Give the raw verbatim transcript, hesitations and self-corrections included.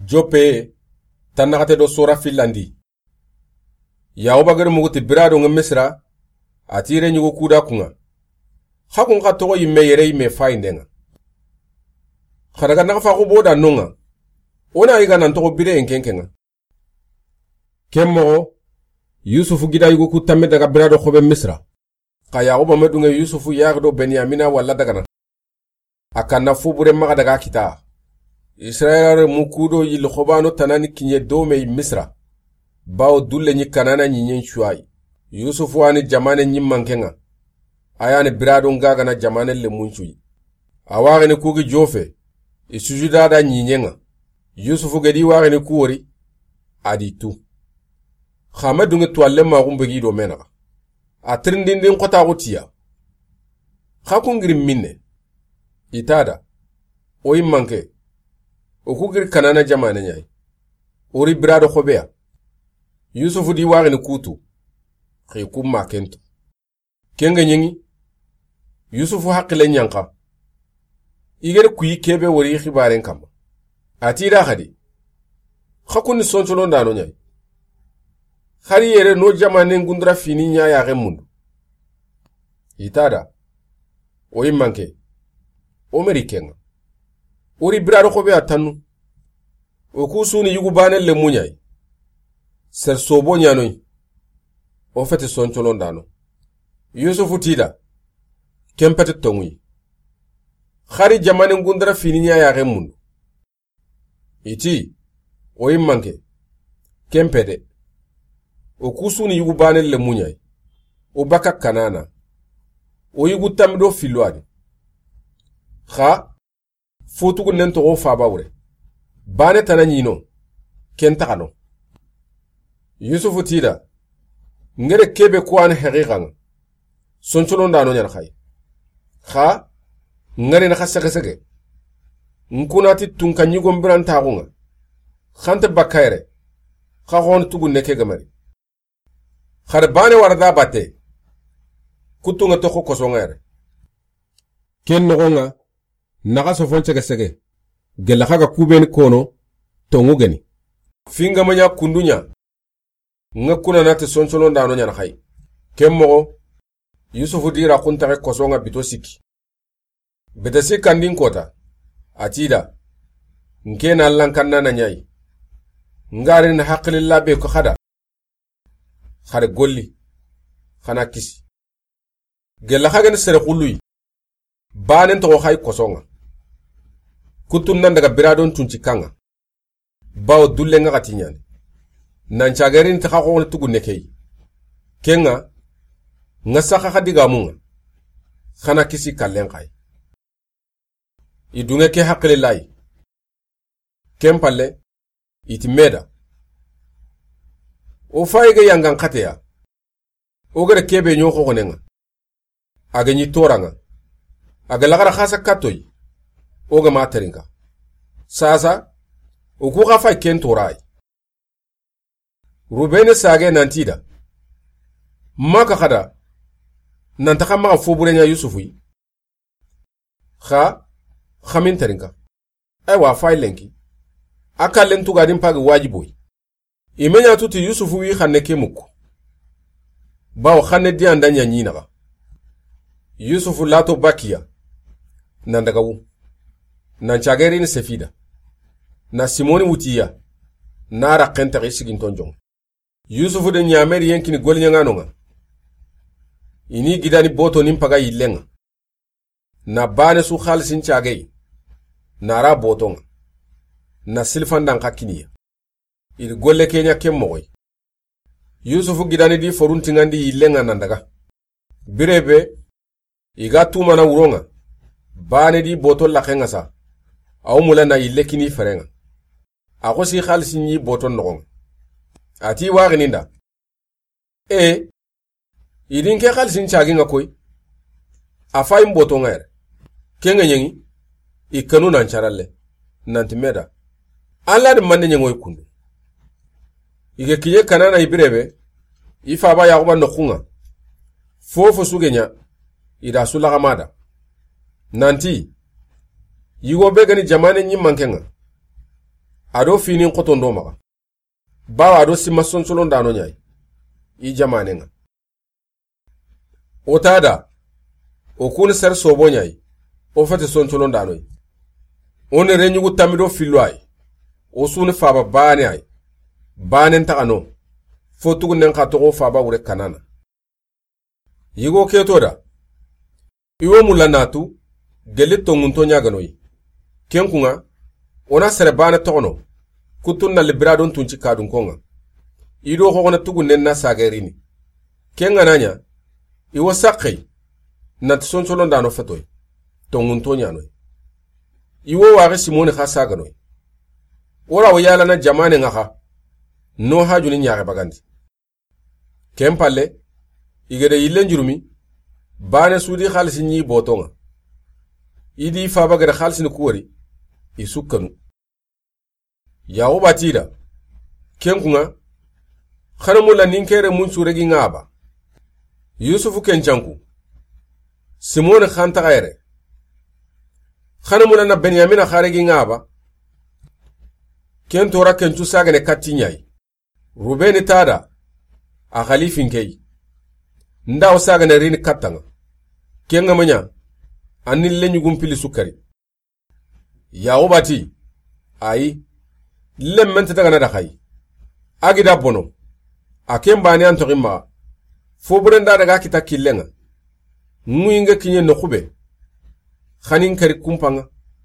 Joppe, tannaxate do sora fillandi. Yaxuba gari mugu ti bira do ŋa Misira, a ti yere ɲugo kuda kuŋa. Xa kun xa toxo yimme yere yimme fayinde ŋa. Xa daga naxa fa xo boda no ŋa. O na yiga nan toxo bire en kenke ŋa. Ken moxo, Yusufu gida yugo ku tamme daga bira do xobe Misira. Xa Yaxuba me dunŋe Yusufu yaxi do Benyamina walla dagana. A kanna fo bure maxa daga kita. Israyila renmu kudo yilli xobano tanani kiɲe do me Misira. Bawo dulle ɲi Kanana ɲiɲen cuwayi. Yusufu wa ni jamane ɲi manke ŋa. A ya ni bira do ŋa gana jamane lenmun cuyi. A waxini ku gi jofe. I sujuda da ɲiɲe ŋa. Yusufu gedi waxini ku wori. A di tu. Xa me dunŋe tuwalle maxun begi do me naxa. A tirindindin xotaxu tiya. Xa kun giri minne. I ta da. O yi manke. O ku giri Kanana jamane ɲayi. O ri bira do xobeya. Yusufu di waxini kutu. Xi kun ma kentu. Kenge ɲeŋi. Yusufu haqile ɲanka. I gere kuyi kebe wori xibaren kamma. A ti da xadi. Xa kun ni sonsolondano ɲayi. Xari yere no jamanen gundura fini ɲa yaxe mundu. I ta da. O yi manke. O meri kenŋa. O ri bira do xobeya tannu. O ku suni yugu bane lenmu ɲayi. Ser sobo ɲanoyi. O feti soncolondano. Yusufu ti da. Ken peti tonŋuyi. Xari jamanen gundura fini ɲa yaxe mundu. I ti, o yi manke. Ken pede. O ku suni yugu bane lenmu ɲayi. O baka Kanana. O yugu tammi do fillo a di. Xa, fo tugunnen toxo faba wure. Bane tana ɲino. Ken taxano. Yusufu ti da. Ngere kebe kuwani haqiqa ŋa. Soncolondano ɲana xayi. Xa, ngari na xa sege sege. Nkunati tunka ɲigon birantaxu ŋa. Xante bakka yere. Xa xoni tugunne ke gamari. Xari bane wara da batte. Kutunŋa toxo koso ŋa yere. Ken noxo ŋa, naxa sofon sege sege. Gella xa ga kubeni kono, tonŋu geni. Fingama ɲa kundu ɲa. Ŋa kuna nati sonsolondano ɲana xayi. Ken moxo, Yusufu di ra xuntaxe koso ŋa bito sikki. Bete sikkandin kota, a ti da, nke na Allan kanna na ɲayi. Ngari na haqililla be ko xada. Xare golli, xana kisi. Gella xa gani sere xulluyi. Banen toxo xayi koso ŋa. Kutun nan daga bira do n tunci kanŋa. Bawo dulle ŋa xati ɲani. Nan cagarini ta xa xoni tugunne keyi. Kenŋa, ŋa saxa xa digamu ŋa. Xana kisi kallen xayi. I dunŋe ke haqile layi. Ken palle, i ti me da. O fayi ga yangan xateya. O gere kebe ɲo xoxonen ŋa. A ga ɲi toran ŋa. A ga laxara xasa kattoyi. O ga ma terinka. Sasa, o ku xa fayi ken torayi. Rubene sage nanti da. Maka xada. Nanta xa maxa fo bure ɲa Yusufu yi. Xa, xa min terinka. Aywa, fay lenki. A kallen tugadin pagi wajiboy. I me ɲa tuti Yusufu wi xanne ke mukku. Bawo xanne di anda ɲa ɲi naxa. Yusufu lato bakiya. Nan daga wu. Nan cagerini sefida. Na Simoni wutiya. Na ra xentaxi siginton jon. Yusufu de ɲameri yenkini goliɲaŋano ŋa. I ni gidani boto nin paga yillen ŋa. Na bane su xalisin cagey. Na ra boto ŋa. Na silfandan xa kiniya. I di golle ke ɲa ken moxoy. Yusufu gidani di foruntiŋandi yillen ŋa nan daga. Birebe, i ga tumana wuron ŋa. Bane di boto laxen ŋa sa. Aw mula na yille kini feren ŋa. A xosi xalisin ɲi boton noxon ŋa. A ti waxini nda. E, i di n ke xalisin cagi ŋa koy. A fayin boto ŋa yere. Ken ŋa ɲeŋi, i kanu nan caralle. Nanti me da. Alla di manne ɲeŋoy kundu. I ga kiɲe Kanana i birebe, i faba Yaxuba noxun ŋa. Fofo su ga ɲa, i da su laxama da. Nanti, yigo be gani jamane ɲi manke ŋa. A do finin xotondo maxa. Bawa a do sima sonsolondano ɲa yi i jamanen ŋa. O ta da, o kuni sere sobo ɲa yi, o fete sonsolondano yi. O ni reɲugu tammi do fillo a yi. O su ni faba bane a yi. Banen taxa no. Fo tugunnen xa toxo faba wure Kanana. Yigo ke to da, i wo mulla na tu, gelli tonŋunto ɲa ga no yi. Ken kun ŋa, o na sere bane toxono, kuttun na libira don tunci kadunkon ŋa. I do xoxona tugunnen na sage rini. Ken ga na ɲa, i wo saxe yi, nanti sonsolondano feto yi, tonŋunto ɲa no yi. I wo waxi Simoni xa saga no yi. O ra wo yalana jamanen ŋa xa, no hajuni ɲaxe bagandi. Ken palle, i gede yillen jurumi, bane su di xalisi ɲi boton ŋa. I di faba gede xalisini ku wori, i su kanu. Yaxuba ti da, ken kun ŋa, xa na mulla nin ke renmun su regi ŋa ba. Yusufu ken canku, Simoni xa ntaxa yere. Xa na mulla na Benyamina xa regi ŋa ba. Ken tora ken cu sagene katti ɲa yi. Rubeni ta da, a xalifin ke yi. Nda o sagane rini katta ŋa. Ken ŋa ma ɲa, a ni leɲugun pili su kari. Yaxuba ti, ayi, lemmen nta daga na da xa yi. A gi da bono, a ken bane an toxi maxa. Fo buren da daga kita killen ŋa. Ŋuyi ŋa kiɲe noxu be. Xa ni n kari kumpan ŋa.